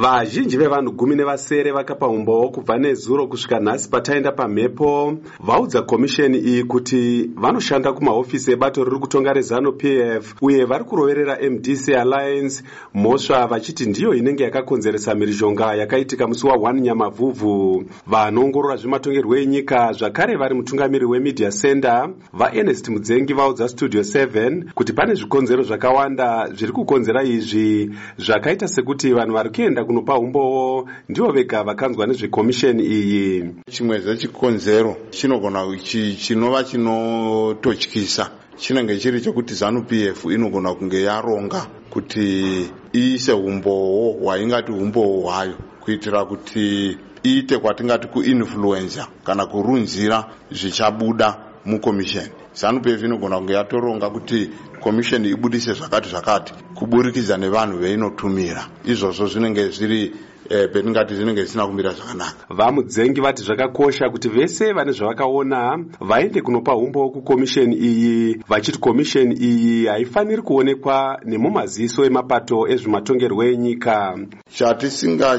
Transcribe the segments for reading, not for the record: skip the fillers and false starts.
Vazhinji vevanhu 17 vakapa umbowo kubva nezuro kusvika nhasi pataenda pamhepo vaudza komisheni iyi kuti vanoshanda kumahofisi ebato riri kutonga reZanu PF uye vari kuroverera MDC Alliance mhosva, vachiti ndiyo inenge yakakonzeresa mhirizhonga yakaitika musi wa1 Nyamavhuvhu. Vanoongorora zvematongerwo enyika, zvakare vari mutungamiri weMedia Center, VaErnest Mudzengi, vaudza Studio 7 kuti pane zvikonzero zvakawanda zviri kukonzera izvi, zvakaita sekuti vanhu vari kuenda kunopa umbowo ndivo vega vakanzwa nezvekomisheni iyi. Chimwe zvechikonzero chinogona chinova chinototyisa chinenge chiri chekuti ZANU PF inogona kunge yaronga kuti iise umbowo hwaingati umbowo hwayo kuitira kuti iite kwatingati kuinfluencer kana kurunzira zvichabuda mukomisheni. ZANU PF inogona kunge yatoronga kuti komisheni ibudise zvakati zvakati kuburikidza nevanhu veinotumira. Izvozvo zvinenge zviri petingati zvinenge zvisina kumira zvakanaka. VaMudzengi vati zvakakosha kuti vese vane zvavakaona vaende kunopa umbowo kukomisheni iyi, vachiti komisheni iyi haifaniri kuonekwa nemumaziso emapato ezvematongerwo enyika.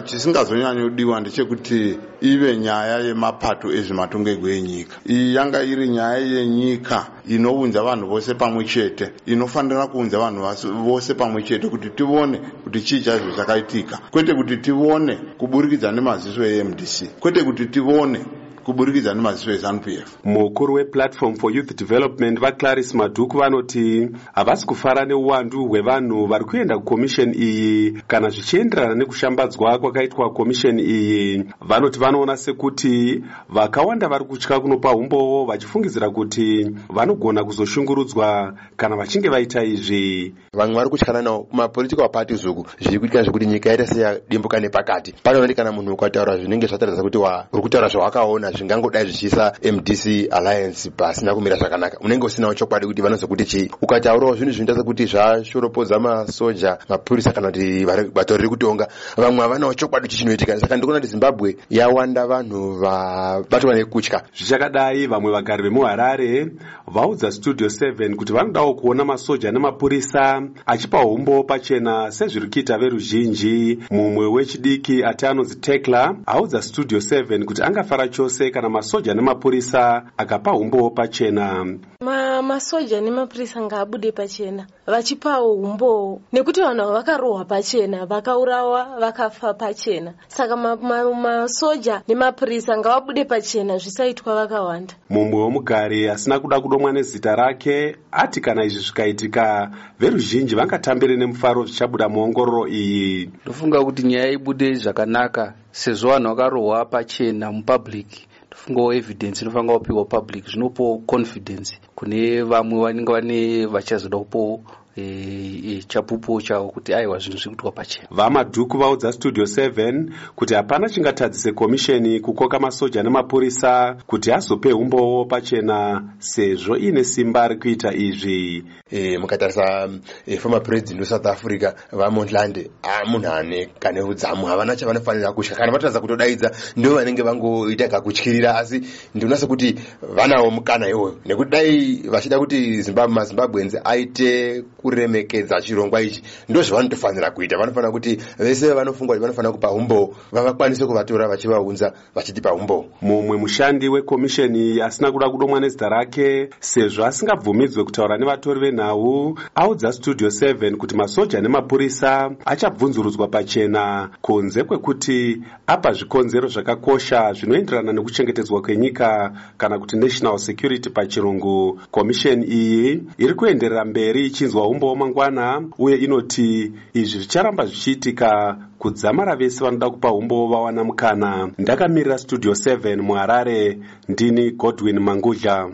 Chisingazonyanyodiwa ndechekuti ive nyaya yemapato ezvematongerwo enyika. Iyi yanga iri nyaya yenyika inounza vanhu vose pamwe chete, inofanira kuunza vanhu vose pamwe chete kuti tivone kuti chii chaizvo chakaitika, kwete kuti tivone kuburikidza nemaziso eMDC, kwete kuti tivone kuburikidza nemaziso eZANU PF. Mukuru wePlatform for Youth Development, VaClaris Madhuku, vanoti havasi kufara neuwandu hwevanhu vari kuenda kukomisheni iyi kana zvichienderana nekushambadzwa kwakaitwa komisheni iyi. Vanoti vanoona sekuti vakawanda vari kutya kunopa umbowo vachifungidzira kuti vanogona kuzoshungurudzwa kana vachinge vaita izvi. Vamwe vari kutyana nawo kumapolitical parties uku. Zviri kuitika zvekuti nyika yaita seyadimbuka nepakati. Panooneti kana munhu ukataura zvinenge zvataridza kuti uri kutaura zvawakaona zvingangodai zvichiisa MDC Alliance pasina kumira zvakanaka, unenge usinawo chokwadi kuti vanozokuti chii. Ukataurawo zvinhu zvinoita sekuti zvashoropodza masoja, mapurisa kana kuti bato riri kutonga, vamwe havanawo chokwadi kuti chinoitika. Saka ndikuona kuti Zimbabwe yawanda vanhu vabatwa nekutya. Zvichakadai, vamwe vagari vemuHarare vaudza Studio 7 kuti vanodawo kuona masoja nemapurisa achipa umbowo pachena sezviri kuita veruzhinji. Mumwe wechidiki ati anonzi Tekla audza Studio 7 kuti angafara chose kana masoja nemapurisa akapa umbowo pachena. Masoja nemapurisa ngaabude pachena vachipawo umbowo, nekuti vanhu ava vakarohwa pachena, vakaurawa, vakafa pachena. Saka masoja nemapurisa ngavabude pachena, zvisaitwa vakawanda. Mumwe womugari asina kuda kudomwa nezita rake ati kana izvi zvikaitika, veruzhinji vangatambire nemufaro zvichabuda muongororo iyi. Ndofunga kuti nyaya ibude zvakanaka, sezvo vanhu vakarohwa pachena mupublic. Ndofungawo evidence inofanira kupiwa public, zvinopawo confidence kune vamwe vanenge vane vachazoda kupawo chapupu chavo kuti aiwa, zvinhu zviri kuitwa pachena. VaMadhuku vaudza Studio 7 kuti hapana chingatadzise komisheni kukoka masoja nemapurisa kuti azope umbowo pachena, sezvo iine simba rekuita izvi. Mukatarisa former president weSouth Africa, VaMotlanthe, munhu ane kane udzamu. Havana chavanofanira kutya. Kana vatadza kutodaidza, ndo vanenge vangoita kakutyirira, asi ndinoona sekuti vanawo mukana iwoyo, nekuti dai vachida kuti maZimbabweans aite kuremekedza chirongwa ichi, ndo zvavanotofanira kuita. Vanofanira kuti vese vanofunga kuti vanofanira kupa umbowo vavakwanise kuvatora vachivaunza vachitipa umbowo. Mumwe mushandi wekomisheni asina kuda kudomwa nezita rake sezvo asingabvumidzwe kutaura nevatori venhau audza Studio 7 kuti masoja nemapurisa achabvunzurudzwa pachena, kunze kwekuti apa zvikonzero zvakakosha zvinoenderana nekuchengetedzwa kwenyika, kana kuti national security pachirungu. Komisheni iyi iri kuenderera mberi ichinzwa umbowo mangwana, uye inoti izvi zvicharamba zvichiitika kudzamara vese vanoda kupa umbowo vawana mukana. Ndakamirira Studio 7 muHarare, ndini Godwin Mangudla.